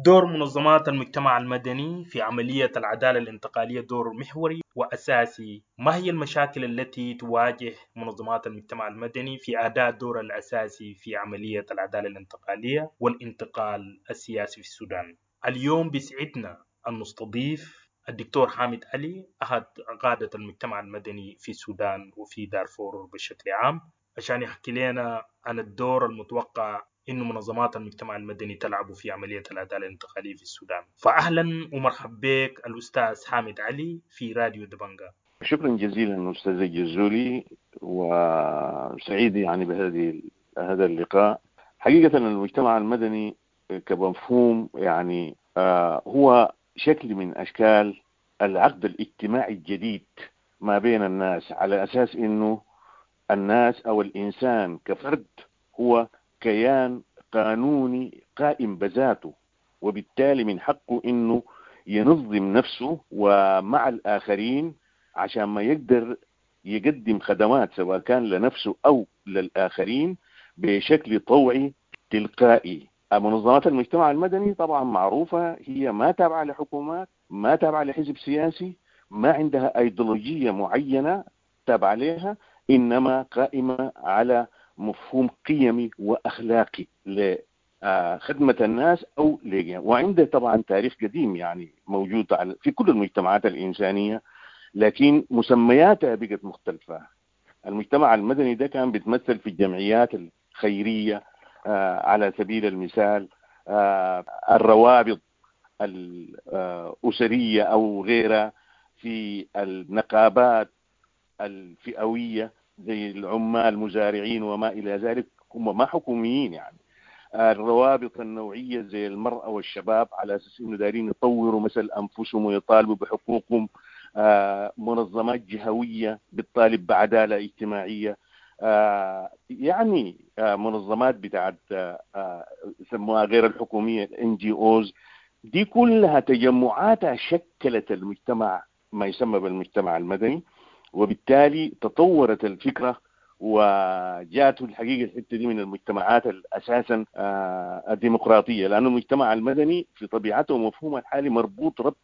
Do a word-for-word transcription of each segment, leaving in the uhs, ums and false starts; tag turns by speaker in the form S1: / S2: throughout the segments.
S1: دور منظمات المجتمع المدني في عملية العدالة الانتقالية دور محوري وأساسي. ما هي المشاكل التي تواجه منظمات المجتمع المدني في أداء الدور الأساسي في عملية العدالة الانتقالية والانتقال السياسي في السودان؟ اليوم بيسعدنا أن نستضيف الدكتور حامد علي، أحد قادة المجتمع المدني في السودان وفي دارفور بشكل عام، عشان يحكي لنا عن الدور المتوقع إنه منظمات المجتمع المدني تلعب في عملية العدالة الانتقالية في السودان. فأهلا ومرحبا بك الأستاذ حامد علي في راديو دبنجا.
S2: شكرا جزيلا أستاذ الجزولي، وسعيد يعني بهذه هذا اللقاء. حقيقة المجتمع المدني كمفهوم يعني آه هو شكل من أشكال العقد الاجتماعي الجديد ما بين الناس، على أساس إنه الناس أو الإنسان كفرد هو كيان قانوني قائم بذاته، وبالتالي من حقه إنه ينظم نفسه ومع الآخرين عشان ما يقدر يقدم خدمات سواء كان لنفسه أو للآخرين بشكل طوعي تلقائي. منظمات المجتمع المدني طبعا معروفة، هي ما تابعة لحكومات، ما تابعة لحزب سياسي، ما عندها أيديولوجية معينة تابعة لها، إنما قائمة على مفهوم قيمي وأخلاقي لخدمة الناس أو لجهة. وعنده طبعا تاريخ قديم يعني موجود في كل المجتمعات الإنسانية، لكن مسمياتها بقت مختلفة. المجتمع المدني ده كان بيتمثل في الجمعيات الخيرية على سبيل المثال، الروابط الأسرية أو غيرها، في النقابات الفئوية زي العمال المزارعين وما إلى ذلك، هم ما حكوميين يعني. الروابط النوعية زي المرأة والشباب على أساس إنه دارين يطوروا مثل أنفسهم ويطالبوا بحقوقهم، منظمات جهوية بتطالب بعدالة اجتماعية، يعني منظمات بتاعت يسموها غير الحكومية إن جي أوز، دي كلها تجمعاتها شكلت المجتمع ما يسمى بالمجتمع المدني. وبالتالي تطورت الفكرة وجاءت الحقيقة الحتة دي من المجتمعات أساسا الديمقراطية، لأن المجتمع المدني في طبيعته ومفهومه الحالي مربوط ربط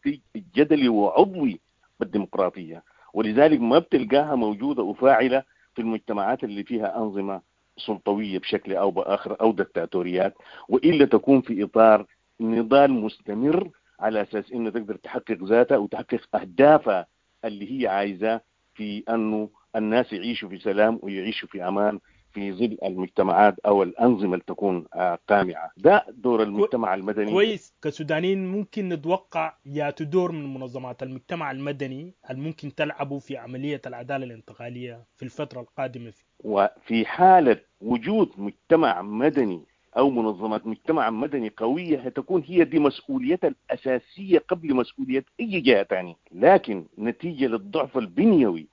S2: جدلي وعضوي بالديمقراطية، ولذلك ما بتلقاها موجودة وفاعلة في المجتمعات اللي فيها أنظمة سلطوية بشكل أو بآخر أو دكتاتوريات، وإلا تكون في إطار نضال مستمر على أساس إنه تقدر تحقق ذاتها وتحقق أهدافها اللي هي عايزة، في أنه الناس يعيشوا في سلام ويعيشوا في أمان في ظل المجتمعات أو الأنظمة اللي تكون قامعة. ده دور المجتمع المدني.
S1: كويس. كسودانيين ممكن نتوقع يا تدور من منظمات المجتمع المدني الممكن تلعبوا في عملية العدالة الانتقالية في الفترة القادمة.
S2: وفي حالة وجود مجتمع مدني أو منظمات مجتمع مدني قوية هتكون هي دي مسؤوليتها الأساسية قبل مسؤولية أي جهة تانية. لكن نتيجة للضعف البنيوي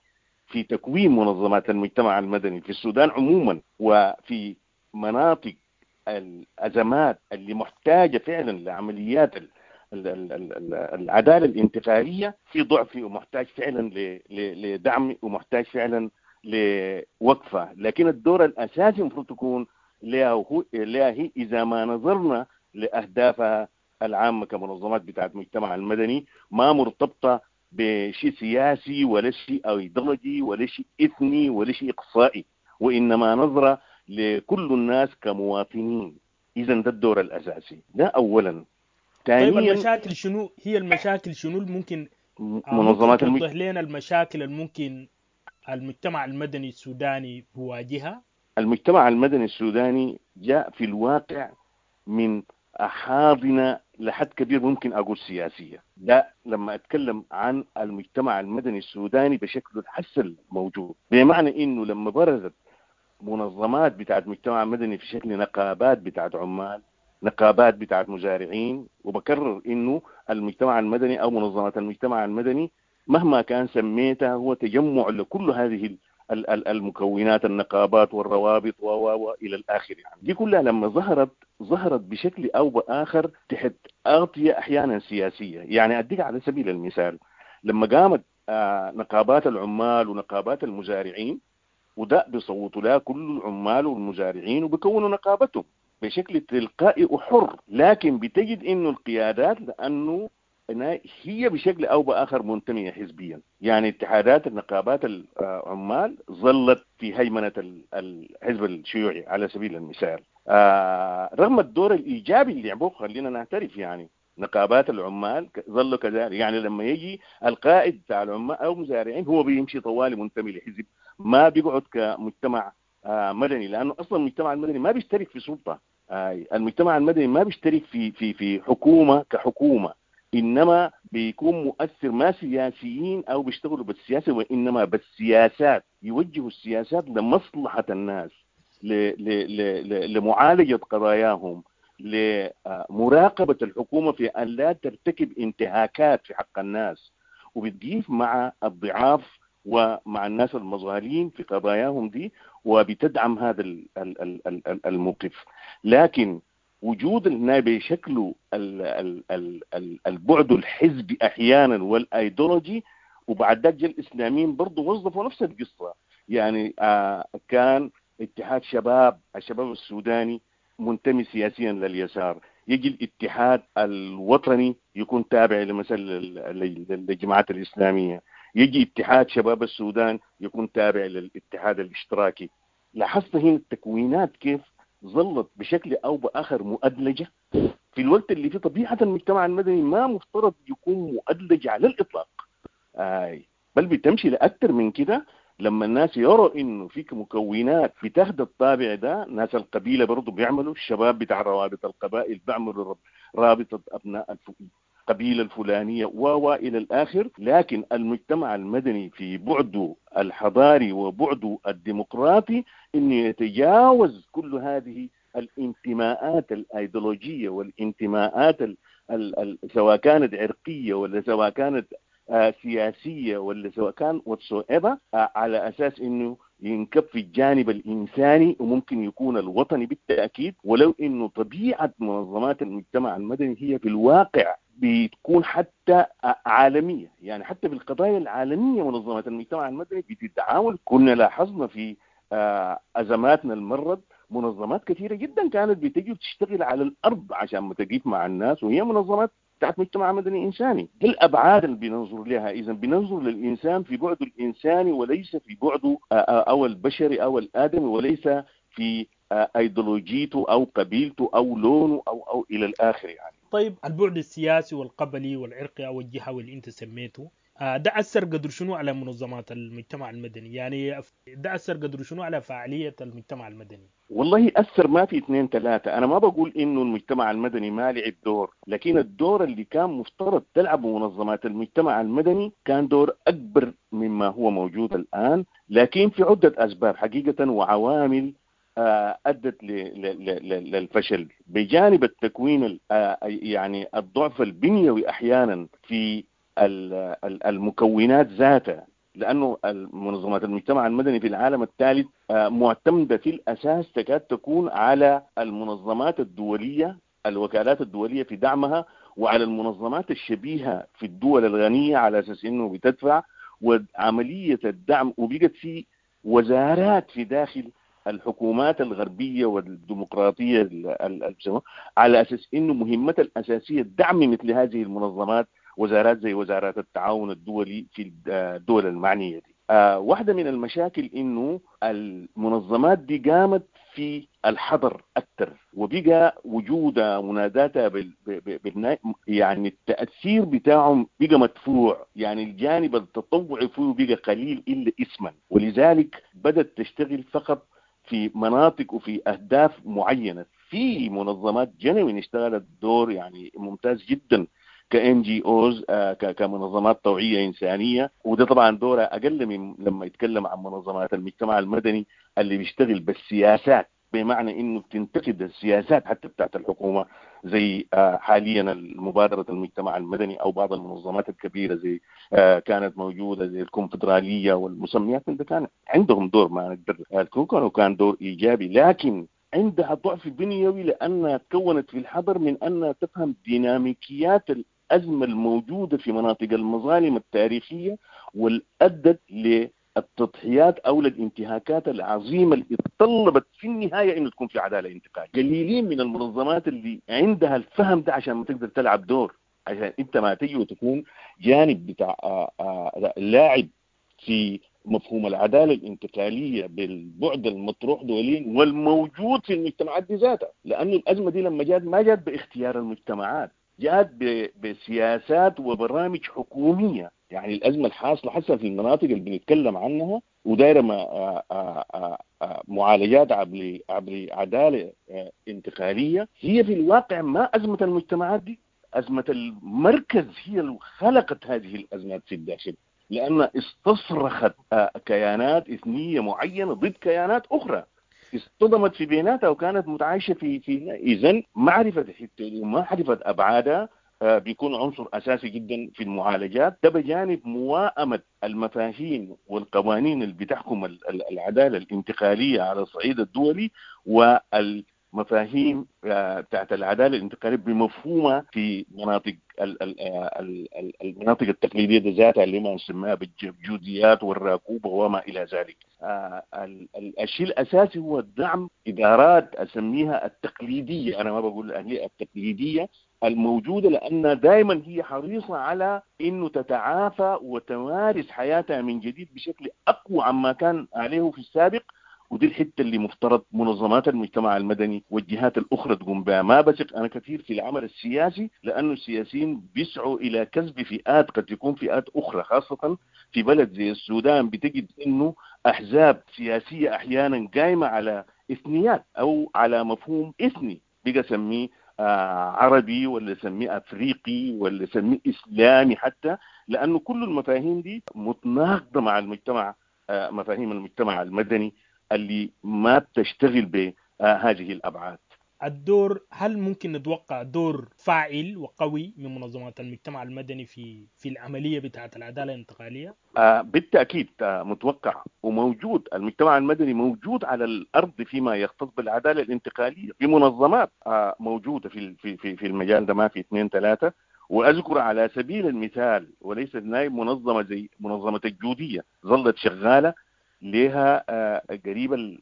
S2: في تكوين منظمات المجتمع المدني في السودان عموما وفي مناطق الأزمات اللي محتاجة فعلا لعمليات العدالة الانتقالية، في ضعف ومحتاج فعلا لدعم ومحتاج فعلا لوقفة. لكن الدور الأساسي المفروض تكون لها هي إذا ما نظرنا لأهدافها العامة كمنظمات بتاعت المجتمع المدني، ما مرتبطة بشيء سياسي ولا شيء ايديولوجي ولا شيء اثني ولا شيء اقصائي، وانما نظره لكل الناس كمواطنين. اذا ده الدور الاساسي، ده اولا.
S1: ثانيا، طيب المشاكل شنو هي؟ المشاكل شنو ممكن
S2: منظمات
S1: المج... توضح لنا المشاكل الممكن المجتمع المدني السوداني بواجهها؟
S2: المجتمع المدني السوداني جاء في الواقع من حاضنة لحد كبير ممكن أقول سياسية. لا، لما أتكلم عن المجتمع المدني السوداني بشكله الحسن الموجود، بمعنى إنه لما برزت منظمات بتاعت مجتمع مدني في شكل نقابات بتاعت عمال، نقابات بتاعت مزارعين، وبكرر إنه المجتمع المدني أو منظمات المجتمع المدني مهما كان سميتها هو تجمع لكل هذه المكونات، النقابات والروابط و و الى الاخر. يعني دي كلها لما ظهرت ظهرت بشكل او باخر تحت اغطيه احيانا سياسية. يعني اديك على سبيل المثال، لما قامت نقابات العمال ونقابات المزارعين، وده بيصوتوا لها كل العمال والمزارعين وبيكونوا نقابتهم، بشكل تلقائي وحر، لكن بتجد إنه القيادات لأنه هي بشكل أو بآخر منتمية حزبيا، يعني اتحادات النقابات العمال ظلت في هيمنة الحزب الشيوعي على سبيل المثال، آه رغم الدور الإيجابي اللي لعبوه، خلينا نعترف يعني نقابات العمال ظلوا كذلك، يعني لما يجي القائد بتاع العمال أو مزارعين هو بيمشي طوالي منتمي لحزب، ما بيقعد كمجتمع آه مدني، لأنه أصلا المجتمع المدني ما بيشترك في سلطة، آه المجتمع المدني ما بيشترك في في في حكومة كحكومة، إنما بيكون مؤثر ما سياسيين أو بيشتغلوا بالسياسة، وإنما بالسياسات، يوجهوا السياسات لمصلحة الناس، لمعالجة قضاياهم، لمراقبة الحكومة في أن لا ترتكب انتهاكات في حق الناس، وبتقيف مع الضعاف ومع الناس المظالم في قضاياهم دي، وبتدعم هذا الموقف. لكن وجود النائب بشكله البعد الحزبي أحيانا والأيديولوجي، وبعد ذلك الإسلاميين برضو وظفوا نفس القصة، يعني آه كان اتحاد شباب الشباب السوداني منتمي سياسيا لليسار، يجي الاتحاد الوطني يكون تابع لمثل للجماعات الإسلامية، يجي اتحاد شباب السودان يكون تابع للاتحاد الاشتراكي. لاحظت هنا التكوينات كيف ظلت بشكل أو بآخر مؤدلجة في الوقت اللي في طبيعة المجتمع المدني ما مفترض يكون مؤدلج على الإطلاق، آي بل بتمشي لأكثر من كده. لما الناس يروا إنه فيك مكونات بتاخد الطابع ده، ناس القبيلة برضو بيعملوا، الشباب بتاع روابط القبائل بيعملوا رابطة أبناء القبيلة الفلانية و إلى الآخر. لكن المجتمع المدني في بعده الحضاري وبعده الديمقراطي إنه يتجاوز كل هذه الانتماءات الأيديولوجية والانتماءات ال ال ال سواء كانت عرقية ولا سواء كانت سياسية ولا سواء كان whatsoever، على أساس إنه ينكب في الجانب الإنساني وممكن يكون الوطني بالتأكيد. ولو إنه طبيعة منظمات المجتمع المدني هي في الواقع بتكون حتى عالمية، يعني حتى في القضايا العالمية منظمات المجتمع المدني بتتعاون. كنا لاحظنا في أزماتنا المرض منظمات كثيرة جدا كانت بتجي وتشتغل على الأرض عشان ما تقيف مع الناس، وهي منظمات بتاعت مجتمع مدني إنساني. دي الأبعاد اللي بننظر لها. إذا بننظر للإنسان في بعده الإنساني وليس في بعده أو البشري أو الآدمي، وليس في أيديولوجيته أو قبيلته أو لونه أو أو إلى الآخر يعني.
S1: طيب البعد السياسي والقبلي والعرقي أو الجهوي اللي أنت سميته ده أثر قدر شنو على منظمات المجتمع المدني؟ يعني ده أثر قدر شنو على فعالية المجتمع المدني؟
S2: والله أثر ما في اثنين ثلاثة. أنا ما بقول إنه المجتمع المدني ما لعب دور، لكن الدور اللي كان مفترض تلعبه منظمات المجتمع المدني كان دور أكبر مما هو موجود الآن، لكن في عدة أسباب حقيقة وعوامل أدت للفشل، بجانب التكوين يعني الضعف البنيوي أحيانا في المكونات ذاتها، لأنه منظمات المجتمع المدني في العالم الثالث معتمدة في الأساس تكاد تكون على المنظمات الدولية، الوكالات الدولية في دعمها، وعلى المنظمات الشبيهة في الدول الغنية على أساس أنه بتدفع، وعملية الدعم، وبقت في وزارات في داخل الحكومات الغربية والديمقراطية على أساس أنه مهمتها الأساسية دعم مثل هذه المنظمات، وزارات زي وزارات التعاون الدولي في الدول المعنية دي. آه واحدة من المشاكل إنه المنظمات دي قامت في الحضر أكثر، وبقى وجودها مناداتها بال بال يعني التأثير بتاعهم بقى مدفوع، يعني الجانب التطوعي فيه بقى قليل إلا اسما، ولذلك بدأت تشتغل فقط في مناطق وفي أهداف معينة. في منظمات جنوين اشتغلت دور يعني ممتاز جدا ك NGOs، كمنظمات طوعية إنسانية، وده طبعا دورها أقل من لما يتكلم عن منظمات المجتمع المدني اللي بيشتغل بالسياسات، بمعنى إنه بتنتقد السياسات حتى بتاعت الحكومة، زي حاليا مبادرة المجتمع المدني أو بعض المنظمات الكبيرة زي كانت موجودة زي الكونفدرالية والمسميات من ده، كان عندهم دور ما نقدر كانوا كان دور إيجابي، لكن عندها ضعف بنيوي لأنها تكونت في الحضر من أنها تفهم ديناميكيات الأزمة الموجودة في مناطق المظالم التاريخية، والأدت التضحيات او للانتهاكات العظيمة اللي اتطلبت في النهاية انه تكون في عدالة انتقالية. قليلين من المنظمات اللي عندها الفهم ده عشان ما تقدر تلعب دور، عشان انت ما تجي وتكون جانب بتاع لاعب في مفهوم العدالة الانتقالية بالبعد المطروح دوليا والموجود في المجتمعات دي ذاتها. لانه الازمة دي لما جات ما جات باختيار المجتمعات، جات بسياسات وبرامج حكومية. يعني الازمة الحاصلة حسب في المناطق اللي بنتكلم عنها ودايره معالجات عبر عبر عدالة انتقالية، هي في الواقع ما ازمة المجتمعات دي، ازمة المركز هي اللي خلقت هذه الازمات في الداخل، لأن استصرخت كيانات إثنية معينة ضد كيانات أخرى اصطدمت في بيناتها وكانت متعايشة في في إذن معرفة الحتة ومعرفة أبعادها بيكون عنصر أساسي جدا في المعالجات. ده بجانب موائمة المفاهيم والقوانين اللي بتحكم العدالة الانتقالية على الصعيد الدولي والمفاهيم بتاعت العدالة الانتقالية بمفهومها في مناطق المناطق التقليدية ذاتها اللي ما نسميها بالجوديات والراكوبة وما إلى ذلك. الشيء الأساسي هو دعم إدارات أسميها التقليدية، أنا ما بقول الأهلية، التقليدية الموجودة، لأن دائما هي حريصة على أنه تتعافى وتمارس حياتها من جديد بشكل أقوى عما كان عليه في السابق. ودي الحتة اللي مفترض منظمات المجتمع المدني والجهات الاخرى تقوم بها. ما بثق انا كثير في العمل السياسي، لانه السياسيين بيسعوا الى كسب فئات قد تكون فئات اخرى، خاصة في بلد زي السودان بتجد انه احزاب سياسية احيانا قايمة على اثنيات او على مفهوم اثني، بقى سميه عربي ولا سميه افريقي ولا سميه اسلامي حتى، لانه كل المفاهيم دي متناقضة مع المجتمع، مفاهيم المجتمع المدني اللي ما بتشتغل بهذه الأبعاد.
S1: الدور، هل ممكن نتوقع دور فاعل وقوي من منظمات المجتمع المدني في في العملية بتاعة العدالة الانتقالية؟
S2: آه بالتأكيد آه متوقع وموجود. المجتمع المدني موجود على الأرض فيما يختص بالعدالة الانتقالية، في منظمات آه موجودة في في في المجال ده، ما في اثنين ثلاثة. وأذكر على سبيل المثال وليس نايب منظمة زي منظمة الجودية ظلت شغالة لها قريبا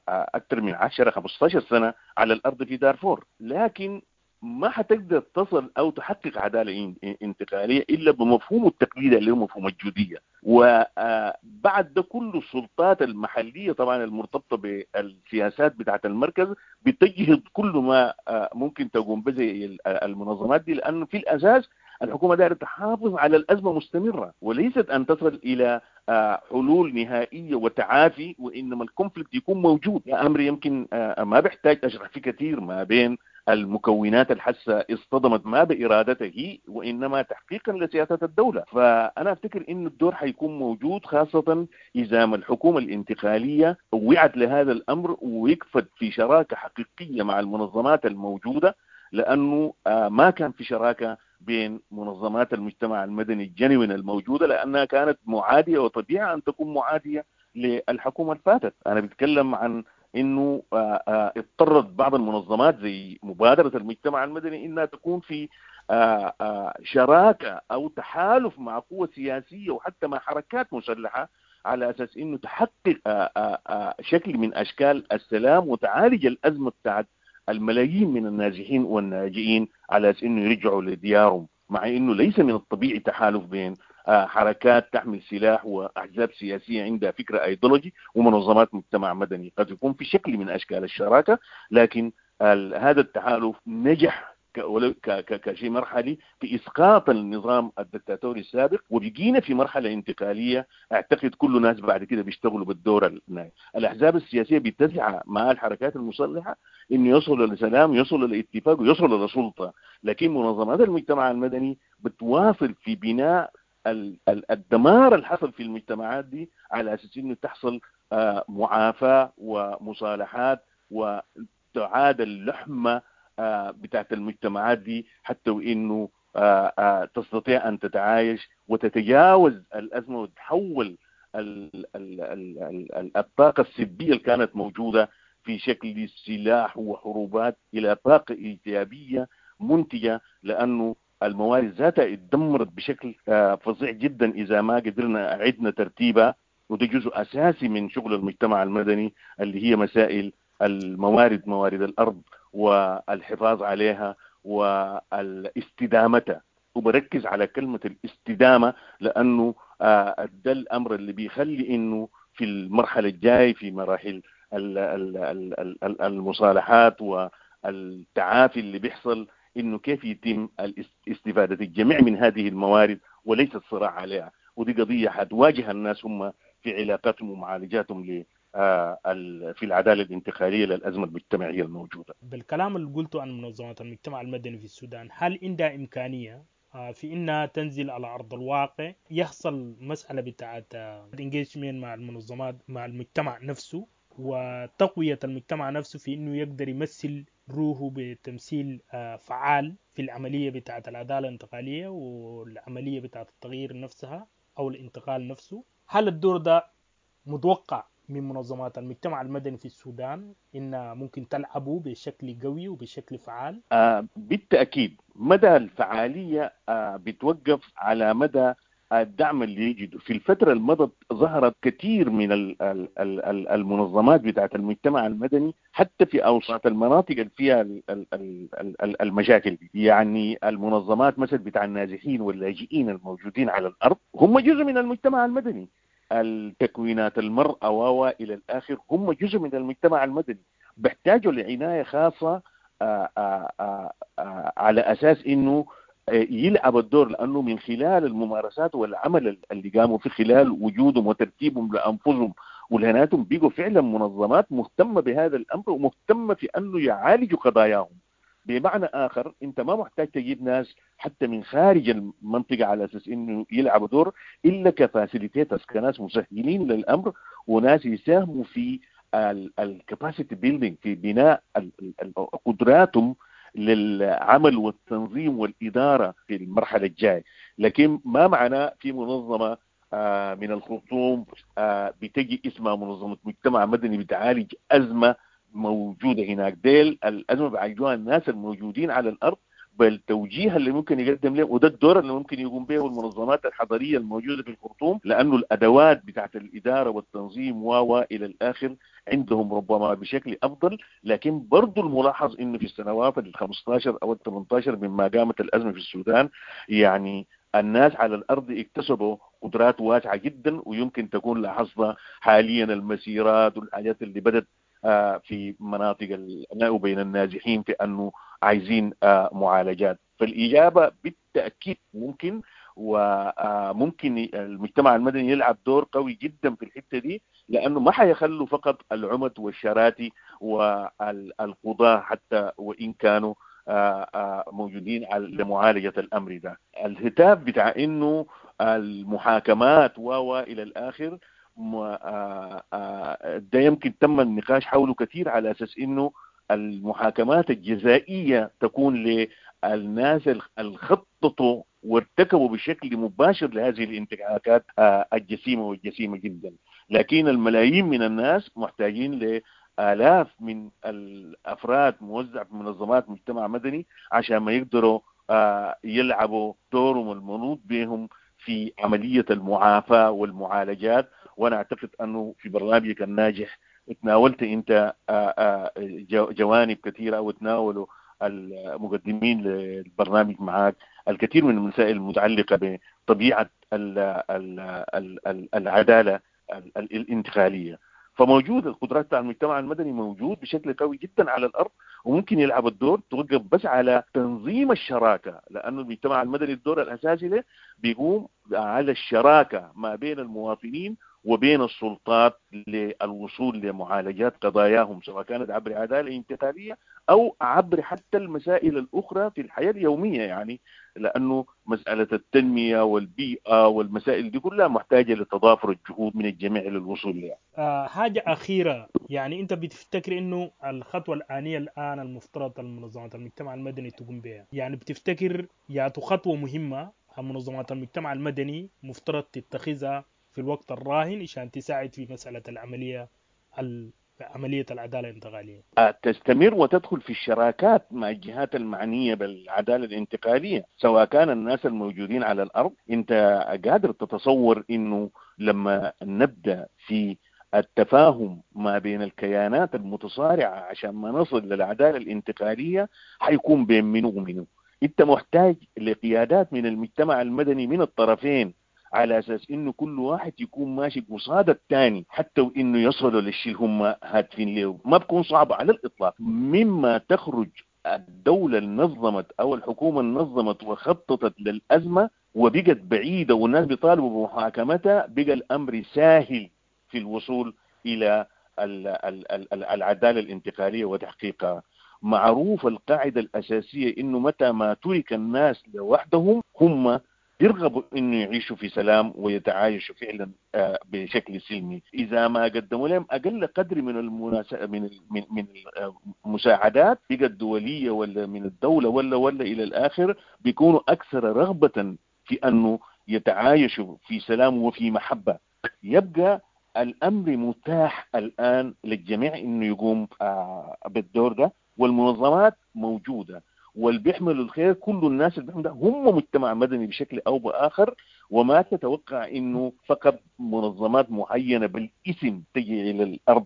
S2: أكثر من عشرة خمسة عشر سنة على الأرض في دارفور، لكن ما حتقدر تصل أو تحقق عدالة انتقالية إلا بمفهوم التقليد اللي هو مفهوم الجودية. وبعد ده كل السلطات المحلية طبعا المرتبطة بالسياسات بتاعة المركز بتجهد كل ما ممكن تقوم به المنظمات دي، لأنه في الأساس الحكومة دايرة تحافظ على الأزمة مستمرة وليست أن تصل إلى حلول نهائية وتعافي، وإنما الكونفليكت يكون موجود. أمر يمكن ما بيحتاج أشرح فيه كثير ما بين المكونات الحاسة اصطدمت ما بإرادته وإنما تحقيقا لسياسات الدولة. فأنا أفتكر إن الدور حيكون موجود، خاصة إذا ما الحكومة الانتقالية وعت لهذا الأمر ووقفت في شراكة حقيقية مع المنظمات الموجودة، لأنه ما كان في شراكة بين منظمات المجتمع المدني الجنوين الموجودة، لأنها كانت معادية وطبيعة أن تكون معادية للحكومة الفاتت. أنا بتكلم عن إنه اضطرت بعض المنظمات زي مبادرة المجتمع المدني إنها تكون في شراكة أو تحالف مع قوة سياسية وحتى مع حركات مسلحة على أساس إنه تحقق شكل من أشكال السلام وتعالج الأزمة بتاعت الملايين من النازحين والناجئين على أساس إنه يرجعوا لديارهم، مع إنه ليس من الطبيعي تحالف بين حركات تحمل سلاح وأحزاب سياسية عندها فكرة أيديولوجي ومنظمات مجتمع مدني. قد يكون في شكل من أشكال الشراكة، لكن هذا التحالف نجح كشيء مرحلي في إسقاط النظام الدكتاتوري السابق، وبقينا في مرحلة انتقالية. أعتقد كل الناس بعد كده بيشتغلوا بالدور النهائي. الأحزاب السياسية بتسعى مع الحركات المسلحة إنه يصلوا لسلام، يصلوا لاتفاق، ويصلوا لسلطة، لكن منظمات المجتمع المدني بتواصل في بناء الدمار اللي حصل في المجتمعات دي على أساس إنه تحصل معافاة ومصالحات وتعاد اللحمة بتاعت المجتمعات دي، حتى وإنه تستطيع أن تتعايش وتتجاوز الأزمة وتحول الطاقة السلبية اللي كانت موجودة في شكل سلاح وحروبات إلى طاقة إيجابية منتجة، لأنه الموارد ذاتها اتدمرت بشكل فظيع جدا إذا ما قدرنا عدنا ترتيبها وده جزء أساسي من شغل المجتمع المدني اللي هي مسائل الموارد، موارد الأرض والحفاظ عليها والاستدامتها. وبركز على كلمة الاستدامة لأنه ده الأمر اللي بيخلي إنه في المرحلة الجاية في مراحل المصالحات والتعافي اللي بيحصل إنه كيف يتم استفادة الجميع من هذه الموارد وليس الصراع عليها. ودي قضية حتواجه الناس هم في علاقاتهم ومعالجاتهم ل في العدالة الانتقالية للأزمة المجتمعية الموجودة.
S1: بالكلام اللي قلته عن منظمات المجتمع المدني في السودان، هل عندها إمكانية في إنها تنزل على أرض الواقع، يحصل مسألة بتاعت engagement مع المنظمات مع المجتمع نفسه وتقوية المجتمع نفسه في إنه يقدر يمثل روحه بتمثيل فعال في العملية بتاعت العدالة الانتقالية والعملية بتاعت التغيير نفسها أو الانتقال نفسه؟ هل الدور ده متوقع من منظمات المجتمع المدني في السودان إنها ممكن تلعبه بشكل قوي وبشكل فعال؟
S2: آه بالتأكيد مدى الفعالية آه بتوقف على مدى الدعم اللي يجده. في الفترة المضت ظهرت كثير من المنظمات بتاعت المجتمع المدني حتى في أوساط المناطق اللي فيها المشاكل دي. يعني المنظمات مثل بتاع النازحين واللاجئين الموجودين على الأرض هم جزء من المجتمع المدني، التكوينات المرأة و إلى الآخر هم جزء من المجتمع المدني، بيحتاجوا لعناية خاصة آآ آآ آآ على أساس إنه يلعب الدور، لأنه من خلال الممارسات والعمل اللي قاموا في خلال وجودهم وترتيبهم لأنفسهم ولهناتهم بيجوا فعلا منظمات مهتمة بهذا الأمر ومهتمة في أنه يعالجوا قضاياهم. بمعنى آخر أنت ما محتاج تجيب ناس حتى من خارج المنطقة على أساس أنه يلعبوا دور، إلا ك facilitators، كناس مسهلين للأمر وناس يساهموا في ال capacity building، في بناء قدراتهم للعمل والتنظيم والإدارة في المرحلة الجاية. لكن ما معنى في منظمة من الخرطوم بتجي اسمها منظمة مجتمع مدني بتعالج أزمة موجودة هناك، ديل الأزمة بيعالجوها الناس الموجودين على الأرض بالتوجيه اللي ممكن يقدم له، وده الدور اللي ممكن يقوم به المنظمات الحضرية الموجودة في الخرطوم، لأنه الأدوات بتاعت الإدارة والتنظيم و إلى الآخر عندهم ربما بشكل أفضل. لكن برضو الملاحظ إنه في السنوات ال خمستاشر أو ال تمنتاشر مما قامت الأزمة في السودان، يعني الناس على الأرض اكتسبوا قدرات واسعة جدا، ويمكن تكون لاحظنا حاليا المسيرات والحاجات اللي بدت في مناطق وبين النازحين في أنه عايزين معالجات. فالإجابة بالتأكيد ممكن، وممكن المجتمع المدني يلعب دور قوي جدا في الحتة دي، لأنه ما حيخلوا فقط العمد والشراتي والقضاة حتى وإن كانوا موجودين لمعالجة الأمر ده. الهتاف بتاع إنه المحاكمات و إلى الآخر ده يمكن تم النقاش حوله كثير على أساس إنه المحاكمات الجزائية تكون للناس اللي خططوا وارتكبوا بشكل مباشر لهذه الانتهاكات الجسيمة والجسيمة جدا. لكن الملايين من الناس محتاجين لآلاف من الأفراد موزع في منظمات مجتمع مدني عشان ما يقدروا يلعبوا دورهم المنوط بهم في عملية المعافاة والمعالجات. وأنا أعتقد أنه في برنامجك الناجح تناولت أنت جوانب كثيرة، وتناولوا المقدمين للبرنامج معك الكثير من المسائل المتعلقة بطبيعة العدالة الانتقالية. فموجود القدرات بتاع المجتمع المدني موجود بشكل قوي جدا على الأرض، وممكن يلعب الدور. توقف بس على تنظيم الشراكة، لأنه المجتمع المدني الدور الأساسي له بيقوم على الشراكة ما بين المواطنين وبين السلطات للوصول لمعالجات قضاياهم، سواء كانت عبر عدالة انتقالية أو عبر حتى المسائل الأخرى في الحياة اليومية. يعني لأنه مسألة التنمية والبيئة والمسائل دي كلها محتاجة لتضافر الجهود من الجميع للوصول لها.
S1: آه حاجة أخيرة، يعني أنت بتفتكر أنه الخطوة الآنية الآن المفترض المنظمات المجتمع المدني تقوم بها، يعني بتفتكر ياتو خطوة مهمة منظمات المجتمع المدني مفترض تتخذها في الوقت الراهن عشان تساعد في مسألة العملية عملية العدالة الانتقالية؟
S2: تستمر وتدخل في الشراكات مع الجهات المعنية بالعدالة الانتقالية، سواء كان الناس الموجودين على الأرض. أنت قادر تتصور أنه لما نبدا في التفاهم ما بين الكيانات المتصارعه عشان ما نصل للعدالة الانتقالية حيكون بين منو ومنو. انت محتاج لقيادات من المجتمع المدني من الطرفين على اساس انه كل واحد يكون ماشي قصاد الثاني، حتى وانه يصلوا للشيء اللي هم هادفين له، ما بكون صعب على الاطلاق. مما تخرج الدولة النظمت او الحكومة النظمت وخططت للازمة وبقت بعيدة والناس بيطالبوا بمحاكمتها، بقى الامر ساهل في الوصول الى العدالة الانتقالية وتحقيقها. معروف القاعدة الاساسية انه متى ما ترك الناس لوحدهم هم يرغبوا انه يعيشوا في سلام ويتعايشوا فعلا بشكل سلمي. اذا ما قدموا لهم اقل قدر من المناس... من من من المساعدات بقى الدولية ولا من الدولة ولا ولا الى الاخر، بيكونوا اكثر رغبة في انه يتعايشوا في سلام وفي محبة. يبقى الامر متاح الان للجميع انه يقوم بالدور ده، والمنظمات موجودة واللي بيحملوا الخير كل الناس اللي بيحملوا هم مجتمع مدني بشكل او باخر. وما تتوقع انه فقط منظمات معينة بالاسم تجي الى الارض.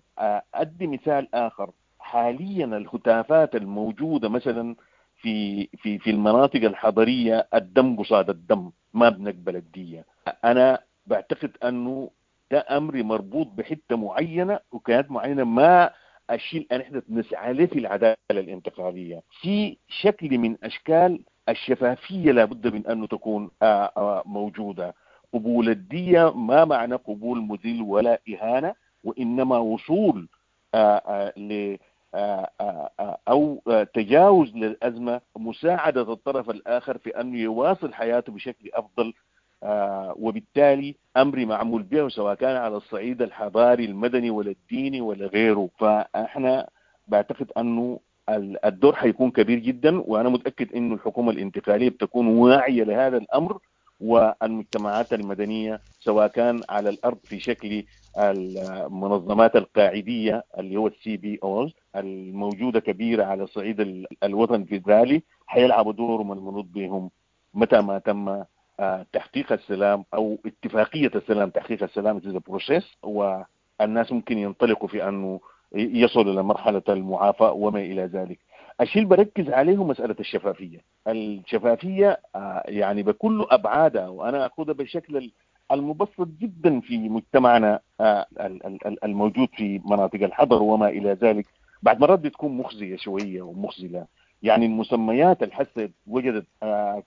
S2: ادي مثال اخر، حاليا الهتافات الموجودة مثلا في في في المناطق الحضرية، الدم قصاد الدم، ما بنقبل الدية. انا بعتقد انه ده امر مربوط بحته معينة وكيانات معينة، ما الشيء اللي نحن نسعى له في العدالة الانتقالية. في شكل من اشكال الشفافية لابد من انه تكون موجودة. قبول الدية ما معنى قبول مذل ولا اهانه، وانما وصول ل او تجاوز للازمة، مساعدة الطرف الاخر في انه يواصل حياته بشكل افضل، آه وبالتالي امر معمول به سواء كان على الصعيد الحضاري المدني ولا الديني ولا غيره. فاحنا بعتقد انه الدور حيكون كبير جدا، وانا متاكد انه الحكومة الانتقالية بتكون واعية لهذا الامر، والمجتمعات المدنية سواء كان على الارض في شكل المنظمات القاعديه اللي هو ال CBOs الموجودة كبيرة على صعيد الوطن الفيدرالي، حيلعبوا دورهم المنوط بهم متى ما تم تحقيق السلام او اتفاقية السلام. تحقيق السلام is process، والناس ممكن ينطلقوا في انه يصلوا الى مرحلة المعافاه وما الى ذلك. الشيء اللي بركز عليه مسالة الشفافية. الشفافية يعني بكل ابعادها، وانا اخذها بالشكل المبسط جدا في مجتمعنا الموجود في مناطق الحضر وما الى ذلك، بعد مرات بتكون مخزيه شوية ومخزله. يعني المسميات الحسه وجدت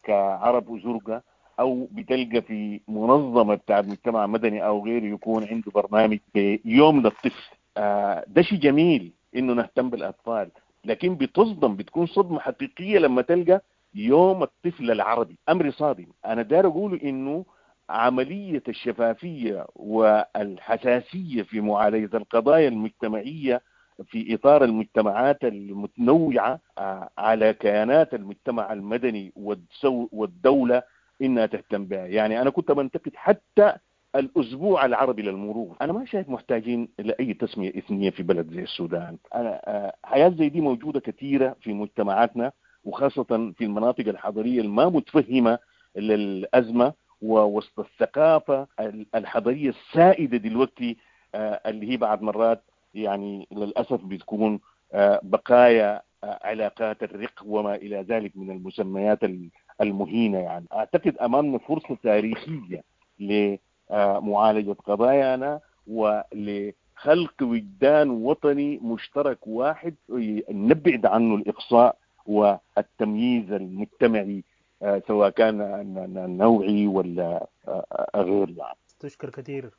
S2: كعرب وزرقاء، او بتلقى في منظمة بتاع مجتمع مدني او غيره يكون عنده برنامج يوم للطفل، ده شيء جميل انه نهتم بالاطفال، لكن بتصدم، بتكون صدمة حقيقية لما تلقى يوم الطفل العربي. امر صادم. انا داير اقول انه عملية الشفافية والحساسيه في معالجة القضايا المجتمعية في اطار المجتمعات المتنوعة على كيانات المجتمع المدني والدولة انها تهتم بها. يعني انا كنت بنتقد حتى الاسبوع العربي للمرور، انا ما شايف محتاجين لاي تسميه اثنيه في بلد زي السودان. انا حياة زي دي موجودة كثيرة في مجتمعاتنا، وخاصة في المناطق الحضرية الما متفهمه للازمة ووسط الثقافة الحضرية السائدة دلوقتي، اللي هي بعد مرات يعني للاسف بتكون بقايا علاقات الرق وما الى ذلك من المسميات المهينه. يعني اعتقد امامنا فرصة تاريخية لمعالجة قضايانا ولخلق وجدان وطني مشترك واحد نبعد عنه الاقصاء والتمييز المجتمعي سواء كان نوعي ولا غير. يعني
S1: تشكر كثير.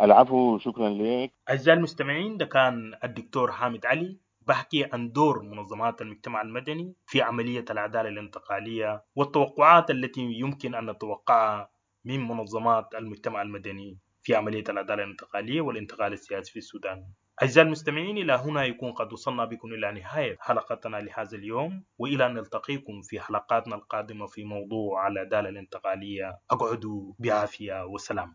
S2: العفو، شكرا لك.
S1: أعزائي المستمعين، ده كان الدكتور حامد علي بحكي عن دور منظمات المجتمع المدني في عملية العدالة الانتقالية والتوقعات التي يمكن أن نتوقعها من منظمات المجتمع المدني في عملية العدالة الانتقالية والانتقال السياسي في السودان. أعزائي المستمعين، إلى هنا يكون قد وصلنا بكم إلى نهاية حلقتنا لهذا اليوم، وإلى أن نلتقيكم في حلقاتنا القادمة في موضوع العدالة الانتقالية. أقعدوا بعافية وسلام.